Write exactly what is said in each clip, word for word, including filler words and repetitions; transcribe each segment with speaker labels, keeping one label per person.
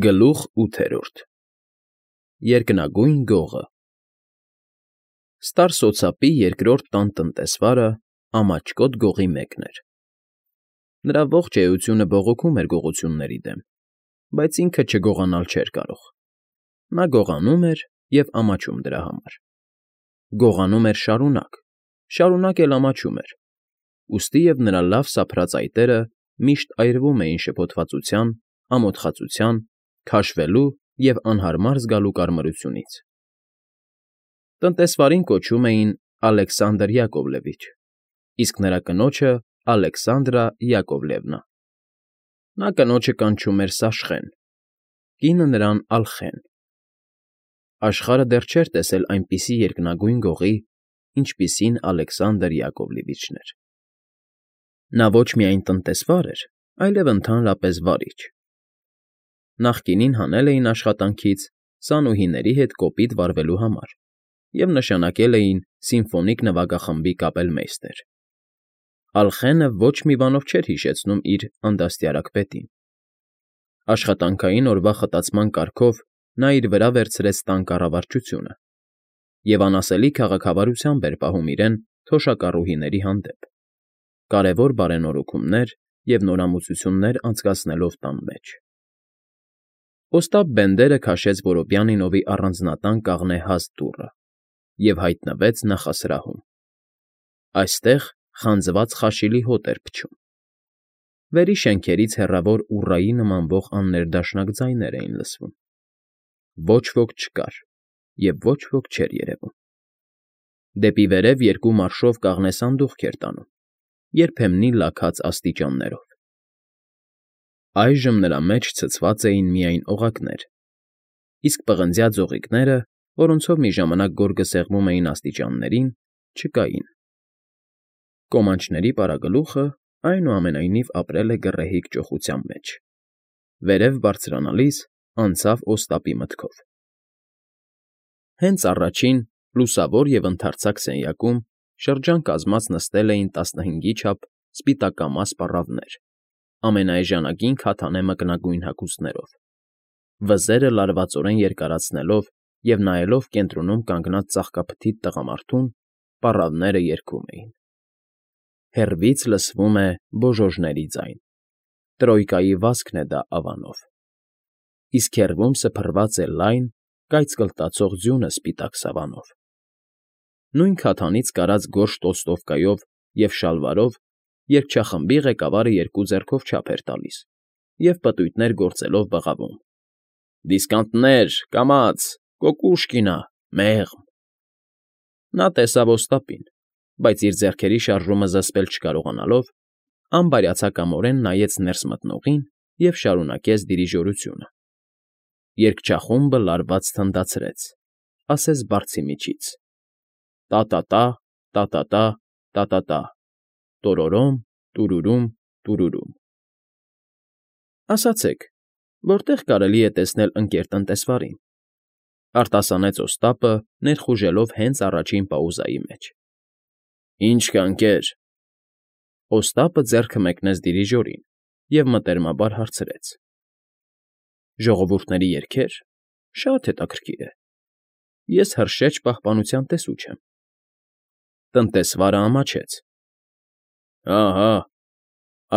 Speaker 1: Գլուխ ութերորդ Երկնագույն Գողը Ստար սոցապի երկրորդ տան տնտեսվարը Ամաչկոտ Գողի մեկն էր։ Նրա ողջ էությունը բողոքում էր գողությունների դեմ, բայց ինքը չգողանալ չէր կարող։ Նա գողանում էր և ամաչում դրա համար։ Գողանում էր շարունակ, շարունակ էլ ամաչում էր, ուստի և նրա լավ սափրած այտերը միշտ այրվում էին շփոթվածության, ամոթխածության, քաշվելու և անհարմար զգալու կարմրությունից։ Տնտեսվարին կոչում էին Ալեքսանդր Յակովլևիչ, իսկ նրա կնոջը Ալեքսանդրա Յակովլևնա։ Նա կնոջը կանչում էր Սաշխեն, կինը նրան՝ Ալխեն։ Աշխարհը դեռ չէր տեսել այնպիսի երկնագույն գողի, ինչպիսին Ալեքսանդր Յակովլևիչն էր։ Նա ոչ միայն տնտեսվար էր, այլև ընդհանրապես վարիչ։ Նախկինին հանել էին աշխատանքից սանուհիների հետ կոպիտ վարվելու համար և նշանակել էին սիմֆոնիկ նվագախմբի կապելմեյստեր։ Ալխենը ոչ մի բանով չէր հիշեցնում իր անդաստիարակպետին։ Աշխատանքային օրվա խտացման կարգով նա իր վրա վերցրեց տան կառավարչությունը և անասելի քաղաքավարությամբ էր պահում իրեն թոշակառուհիների հանդեպ, կարևոր բարենորոգումներ և նորամուծություններ անցկացնելով տան մեջ։ Օստապ Բենդերը քաշեց Որոբյանինովի առանձնատան կաղնե հաստ դուռը և հայտնվեց նախասրահում։ Այստեղ խանձված խաշիլի հոտ էր փչում։ Վերի շենքերից հեռավոր ուռայի նմանվող աններդաշնակ ձայներ էին լսվում։ Ոչ ոք չկար և ոչ ոք չէր երևում։ Դեպի վերև երկու մարշով կաղնե սանդուղք էր տանում, երբեմնի լաքած աստիճաններով։ Այժմ նրա մեջ ցցված էին միայն օղակներ, իսկ պղնձյա ձողիկները, որոնցով մի ժամանակ գորգսեղմում էին աստիճաններին, չկային։ Կոմանչների պարագլուխը, այնուամենայնիվ, ապրել է գռեհիկ ճոխության մեջ, վերև բարձրանալիս անցավ Օստապի մտքով։ Հենց առաջին, լուսավոր և ընդարձակ սենյակում շրջան կազմած նստել էին տասնհինգի չափ սպիտակամաս պառավներ, ամենաէժանագին քաթանե մկնագույն հագուստներով, վզերը լարվածորեն երկարացնելով և նայելով կենտրոնում կանգնած ծաղկափթիթ տղամարդուն, պառավները երգում էին. Հեռվից լսվում է բոժոժների ձայն, Տրոյկայի վազքն է դա ավանով, իսկ հեռվում սփռված է լայն, կայծկլտացող ձյունը սպիտակ սավանով։ Նույն քաթանից կարած գորշ տոստովկայով և շալվարով երգչախմբի ղեկավարը երկու ձեռքով չափ էր տալիս և պտույտներ գործելով բղավում. «Դիսկանտներ, կամաց, Կոկուշկինա, մեղմ»։ Նա տեսավ Օստապին, բայց իր ձեռքերի շարժումը զսպել չկարողանալով, անբարյացակամորեն նայեց ներս մտնողին և շարունակեց դիրիժորությունը։ Երգչախումբը լարված թնդացրեց, ասես բարձի միջից. տա֊տա֊տա, տա֊տա֊տա, տա֊տա֊տա, տորորոմ, տուրուրում, տուրուրում։ Ասացեք, որտե՞ղ կարելի է տեսնել ընկեր տնտեսվարին,֊ արտասանեց Օստապը, ներխուժելով հենց առաջին պաուզայի մեջ։ ֊ Ինչ կա, ընկեր,֊ Օստապը ձեռքը մեկնեց դիրիժորին և մտերմաբար հարցրեց։ ֊ Ժողովուրդների երգե՞ր, շատ հետաքրքիր է, ես հրշեջ պահպանության տեսուչ եմ։ Տնտեսվարը ամաչեց։ ֊ Հա՛֊հա՛,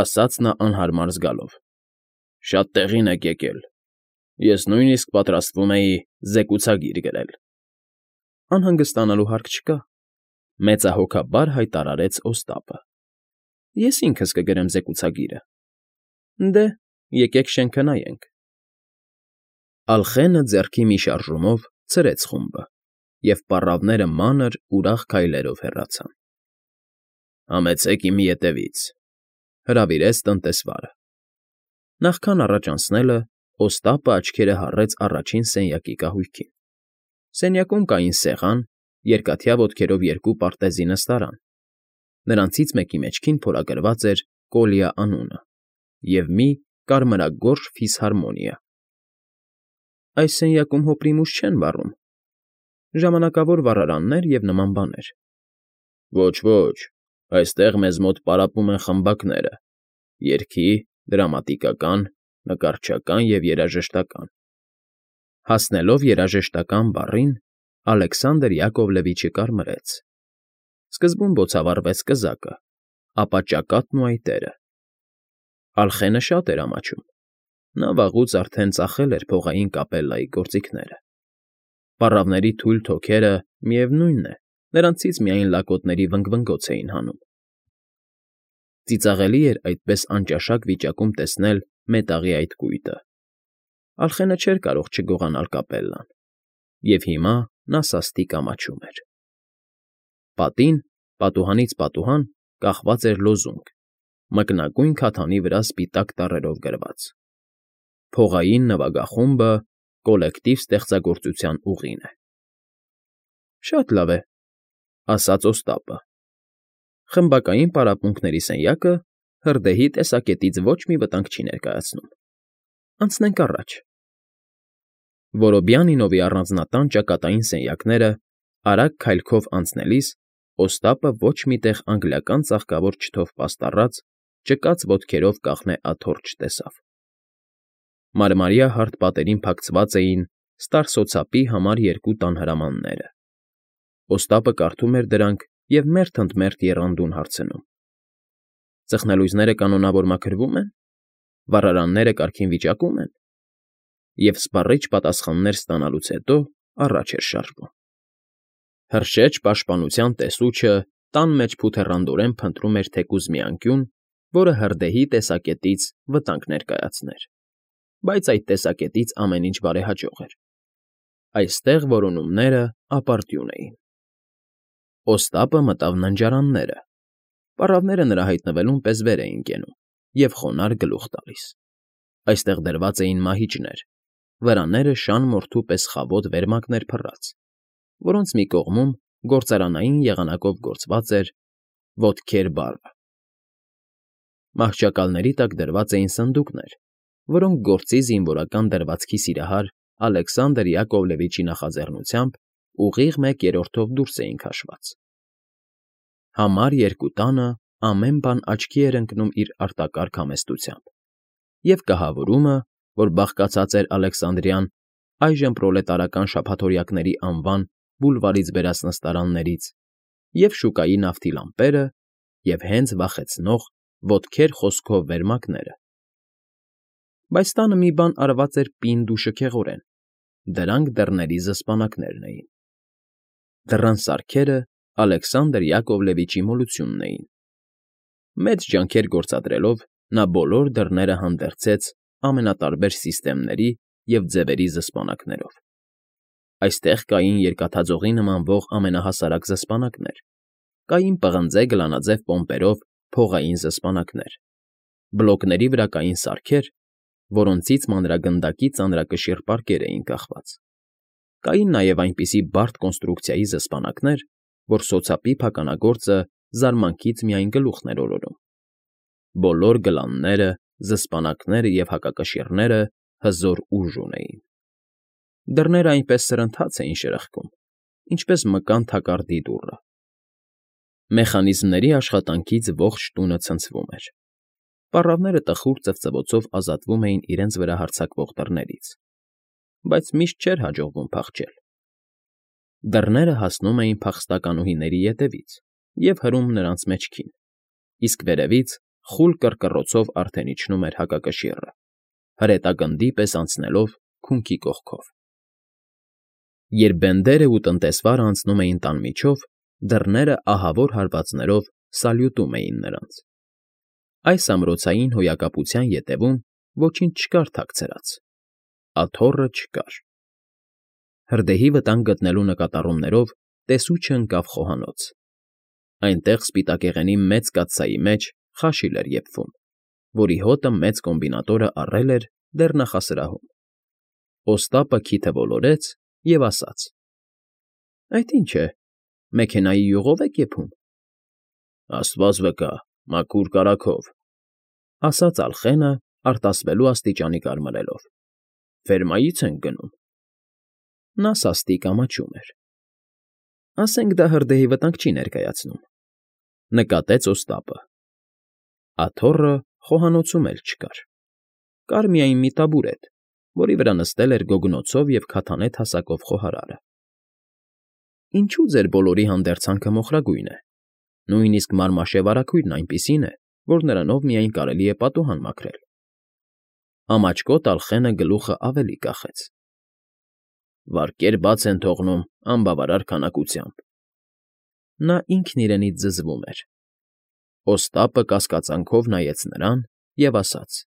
Speaker 1: ասաց նա անհարմար զգալով, շատ տեղին եք եկել, ես նույնիսկ պատրաստվում էի զեկուցագիր գրել։ ֊ Անհանգստանալու հարկ չկա,֊ մեծահոգաբար հայտարարեց Օստապը։ Ես ինքս կգրեմ զեկուցագիրը։ Դե, եկեք շենքը նայենք։ Ալխենը ձեռքի մի շարժումով ցրեց խումբը, և պառավները մանր, ուրախ քայլերով հեռացան։ ֊ Համեցեք իմ ետևից,֊ հրավիրեց տնտեսվարը։ Նախքան առաջ անցնելը Օստապը աչքերը հառեց առաջին սենյակի կահույքին։ Սենյակում կային սեղան, երկաթյա ոտքերով երկու պարտեզի նստարան, նրանցից մեկի մեջքին փորագրված էր Կոլյա անունը և մի կարմրագորշ ֆիսհարմոնիա։ Այս սենյակում հոպրիմուս չեն վառում, ժամանակավոր վառարաններ և նման բաներ։ ֊ Ոչ, այստեղ մեզ մոտ պարապում են խմբակները՝ երգի, դրամատիկական, նկարչական և երաժշտական։ Հասնելով երաժշտական բառին, Ալեքսանդր Յակովլևիչը կարմրեց. սկզբում բոցավառվեց կզակը, ապա ճակատն ու այտերը։ Ալխենը շատ էր ամաչում. նա վաղուց արդեն ծախել էր փողային կապելլայի գործիքները։ Պառավների թույլ թոքերը, միևնույն է, նրանցից միայն լակոտների վնգվնգոց էին հանում։ Ծիծաղելի էր այդպես անճաշակ վիճակում տեսնել մետաղի այդ կույտը։ Ալխենը չէր կարող չգողանալ կապելլան, և հիմա նա սաստիկ ամաչում էր։ Պատին, պատուհանից պատուհան, կախված էր լոզունգ, մկնագույն քաթանի վրա սպիտակ տառերով գրված. «Փողային նվագախումբը կոլեկտիվ ստեղծագործության ուղին է»։ ֊ Շատ լավ է,֊ ասաց Օստապը։ Խմբակային պարապմունքների սենյակը հրդեհի տեսակետից ոչ մի վտանգ չի ներկայացնում։ Անցնենք առաջ։ Որոբյանինովի առանձնատան ճակատային սենյակները արագ քայլքով անցնելիս Օստապը ոչ մի տեղ անգլիական ծաղկավոր չթով պաստառած, ճկած ոտքերով կաղնե աթոռ չտեսավ։ Մարմարյա հարթ պատերին փակցված էին ստարսոցապի համար երկու տան հրամանները։ Օստապը կարդում էր դրանք և մերթ ընդ մերթ եռանդուն հարցնում. ծխնելույզները կանոնավոր մաքրվո՞ւմ են, վառարանները կարգին վիճակո՞ւմ են, և սպառիչ պատասխաններ ստանալուց հետո առաջ էր շարժվում։ Հրշեջ պաշտպանության տեսուչը տան մեջ փութեռանդորեն փնտրում էր թեկուզ մի անկյուն, որը հրդեհի տեսակետից վտանգ ներկայացներ, բայց այդ տեսակետից ամեն ինչ բարեհաջող էր։ Այստեղ որոնումները ապարդյուն էին։ Օստապը մտավ ննջարանները։ Պառավները նրա հայտնվելուն պես վեր էին կենում և խոնարհ գլուխ տալիս։ Այստեղ դրված էին մահիճներ, վրաները շան մորթու պես խավոտ վերմակներ փռած, որոնց մի կողմում գործարանային եղանակով գործված էր «ոտքեր» բառը։ Մահճակալների տակ դրված էին սնդուկներ, որոնք գործի զինվորական դրվածքի սիրահար Ալեքսանդր Յակովլևիչի նախաձեռնությամբ ուղիղ մեկ երրորդով դուրս էին քաշված։ Համար երկու տանը ամեն բան աչքի էր ընկնում իր արտակարգ համեստությամբ, և կահավորումը, որ բաղկացած էր Ալեքսանդրյան, այժմ պրոլետարական շաբաթօրյակների անվան բուլվարից բերած նստարաններից, և շուկայի նավթի լամպերը, և հենց վախեցնող «ոտքեր» խոսքով վերմակները։ Բայց տանը մի բան արված էր պինդ ու շքեղորեն. դրանք դռների զսպանակներն էին։ Դռան սարքերը Ալեքսանդր Յակովլևիչի մոլությունն էին։ Մեծ ջանքեր գործադրելով նա բոլոր դռները հանդերձեց ամենատարբեր սիստեմների և ձևերի զսպանակներով։ Այստեղ կային երկաթաձողի նմանվող ամենահասարակ զսպանակներ, կային պղնձե գլանաձև պոմպերով փողային զսպանակներ, բլոկների վրա կային սարքեր, որոնցից մանրագնդակի ծանրակշիռ պարկեր էին կախված, կային նաև այնպիսի բարդ կոնստրուկցիայի զսպանակներ, որ սոցապի փականագործը զարմանքից միայն գլուխն էր օրորում։ Բոլոր գլանները, զսպանակները և հակակշիռները հզոր ուժ ունեին։ Դռները այնպես սրընթաց էին շրխկում, ինչպես մկան թակարդի դուռը։ Մեխանիզմների աշխատանքից ողջ տունը ցնցվում էր։ Պառավները տխուր ծվծվոցով ազատվում էին իրենց վրա հարձակվող դռներից, բայց միշտ չէր հաջողվում փախչել։ Դռները հասնում էին փախստականուհիների ետևից և հրում նրանց մեջքին, իսկ վերևից խուլ կռկռոցով արդեն իջնում էր հակակշիռը, հրետագնդի պես անցնելով քունքի կողքով։ Երբ բենդերն ու տնտեսվարը անցնում էին տան միջով, դռները ահավոր հարվածներով սալյուտում էին նրանց։ Այս ամրոցային հոյակապության ետևում ոչինչ չկար թաքցրած, աթոռը չկար։ Հրդեհի վտանգ գտնելու նկատառումներով տեսուչը ընկավ խոհանոց։ Այնտեղ սպիտակեղենի մեծ կաթսայի մեջ խաշիլ էր եփվում, որի հոտը մեծ կոմբինատորը առել էր դեռ նախասրահում։ Օստապը քիթը ոլորեց և ասաց. «Այդ ի՞նչ է, մեքենայի յուղով եք եփում»։ ֊ Աստված վկա, մաքուր կարագով,֊ ասաց Ալխենը, արտասվելու աստիճանի կարմրելով,֊ ֆերմայից ենք գնում։ Նա սաստիկ ամաչում էր։ ֊ Ասենք դա հրդեհի վտանգ չի ներկայացնում,֊ նկատեց Օստապը։ Աթոռը խոհանոցում էլ չկար։ Կար միայն մի տաբուրետ, որի վրա նստել էր գոգնոցով և քաթանե թասակով խոհարարը։ Ինչո՞ւ ձեր բոլորի հանդերձանքը մոխրագույն է, նույնիսկ մարմաշե վարագույրն այնպիսին է, որ նրանով միայն կարելի է պատուհան մաքրել։ Ամաչկոտ Ալխենը գլուխը ավելի կախեց։ Վարկեր բաց են թողնում անբավարար քանակությամբ։ Նա ինքն իրենից զզվում էր։ Օստապը կասկածանքով նայեց նրան և ասաց.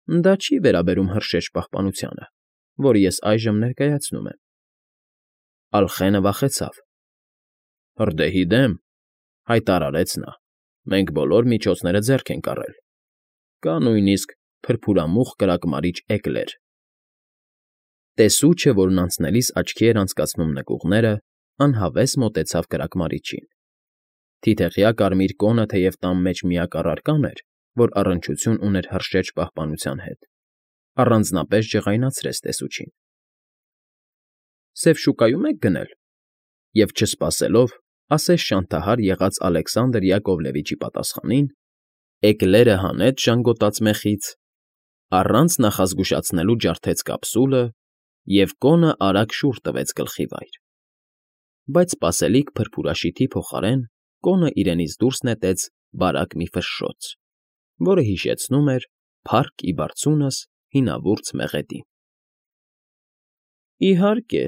Speaker 1: «Դա չի վերաբերում հրշեջ պահպանությանը, որը ես այժմ ներկայացնում եմ»։ Ալխենը վախեցավ։ «Հրդեհի դեմ,֊ հայտարարեց նա,֊ մենք բոլոր միջոցները ձեռք ենք առել։ Կա նույնիսկ փրփուրամուխ կրակմարիչ էկլեր»։ Տեսուչը, որն անցնելիս աչքի էր անցկացնում նկուղները, անհավես մոտեցավ կրակմարիչին։ Թիթեղյա կարմիր կոնը թեև տան մեջ միակ առարկան էր, որ առնչություն ուներ հրշեջ պահպանության հետ, առանձնապես ջղայնացրեց տեսուչին։ «Սև շուկայո՞ւմ եք գնել,֊ և չսպասելով, ասես շանթահար եղած Ալեքսանդր Յակովլևիչի պատասխանին, էկլերը հանեց ժանգոտած մեխից, առանց նախազգուշացնելու ջարդեց կապսուլը և կոնը արագ շուռ տվեց գլխի վայր։ Բայց սպասելիք փրփուրաշիթի փոխարեն կոնը իրենից դուրս նետեց բարակ մի ֆշշոց, որը հիշեցնում էր փառք ի բարձունս հինավուրց մեղեդին։ ֊ Իհարկե,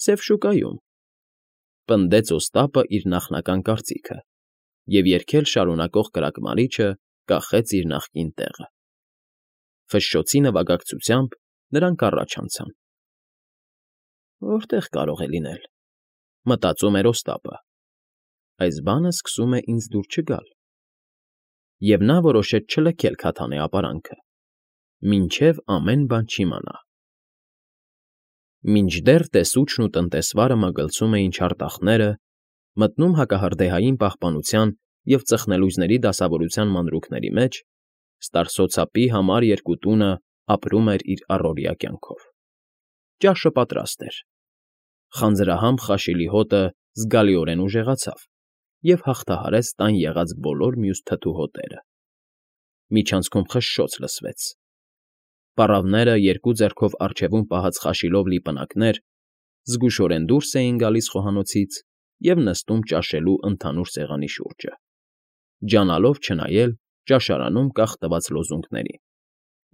Speaker 1: Սև շուկայում,֊ պնդեց Օստապը իր նախնական կարծիքը և երգել շարունակող կրակմարիչը կախեց իր նախկին տեղը։ Ֆշշոցի նվագակցությամբ նրանք առաջ անցան։ «Որտե՞ղ կարող է լինել,֊ մտածում էր Օստապը,֊ այս բանը սկսում է ինձ դուր չգալ»։ Եվ նա որոշեց չլքել քաթանե ապարանքը, մինչև ամեն բան չիմանա։ Մինչդեռ տեսուչն ու տնտեսվարը մագլցում էին չարտախները, մտնում հակահրդեհային պահպանության և ծխնելույզների դասավորության մանրուքների մեջ, ստարսոցապի համար երկու տունը ապրում էր իր առօրյա կյանքով։ Ճաշը պատրաստ էր։ Խանձրահամ խաշիլի հոտը զգալիորեն ուժեղացավ և հաղթահարեց տան եղած բոլոր մյուս թթու հոտերը։ Միջանցքում խշշոց լսվեց։ Պառավները, երկու ձեռքով առջևում պահած խաշիլով լի պնակներ, զգուշորեն դուրս էին գալիս խոհանոցից և նստում ճաշելու ընդհանուր սեղանի շուրջը, ջանալով չնայել ճաշարանում կախ տված լոզունգներին,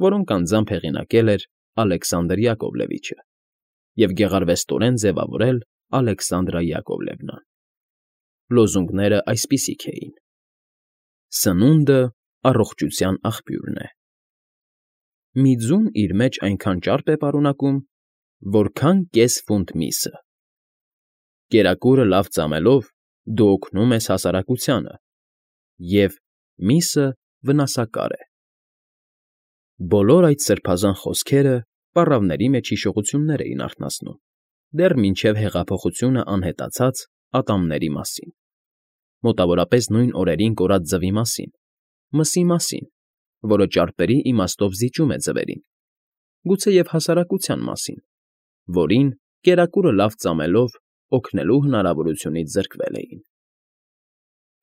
Speaker 1: որոնք անձամբ հեղինակել էր Ալեքսանդր Յակովլևիչը և գեղարվեստորեն ձևավորել Ալեքսանդրա Յակովլևնան։ Լոզունգները այսպիսիք էին. Սնունդը առողջության աղբյուրն է։ Մի ձուն իր մեջ այնքան ճարպ է պարունակում, որքան կես ֆունտ միսը։ Կերակուրը լավ ծամելով՝ դու օգնում ես հասարակությանը, և միսը վնասակար է։ Բոլոր այդ սրբազան խոսքերը պառավների մեջ հիշողություններ էին արթնացնում, դեռ մինչև հեղափոխությունը անհետացած ատամների մասին, մոտավորապես նույն օրերին կորած ձվի մասին, մսի մասին, որը ճարպերի իմաստով զիջում է ձվերին, գուցեև հասարակության մասին, որին, կերակուրը լավ ծամելով, օգնելու հնարավորությունից զրկվել էին։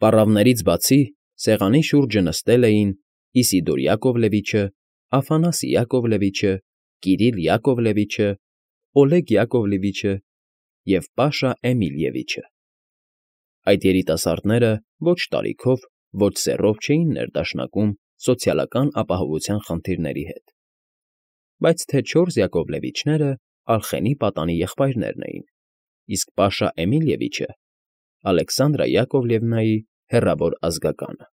Speaker 1: Պառավներից բացի սեղանի շուրջը նստել էին Իսիդոր Յակովլևիչը, Աֆանասի Յակովլևիչը, Կիրիլ Յակովլևիչը, Օլեգ Յակովլևիչը և Պաշա Էմիլևիչը։ Այդ երիտասարդները ոչ տարիքով, ոչ սեռով չէին ներդաշնակում սոցիալական ապահովության խնդիրների հետ, բայց թե չորս Յակովլևիչները Ալխենի պատանի եղբայրներն էին, իսկ Պաշա Էմիլևիչը Ալեքսանդրա Յակովլևնայի հեռավոր ազգականը։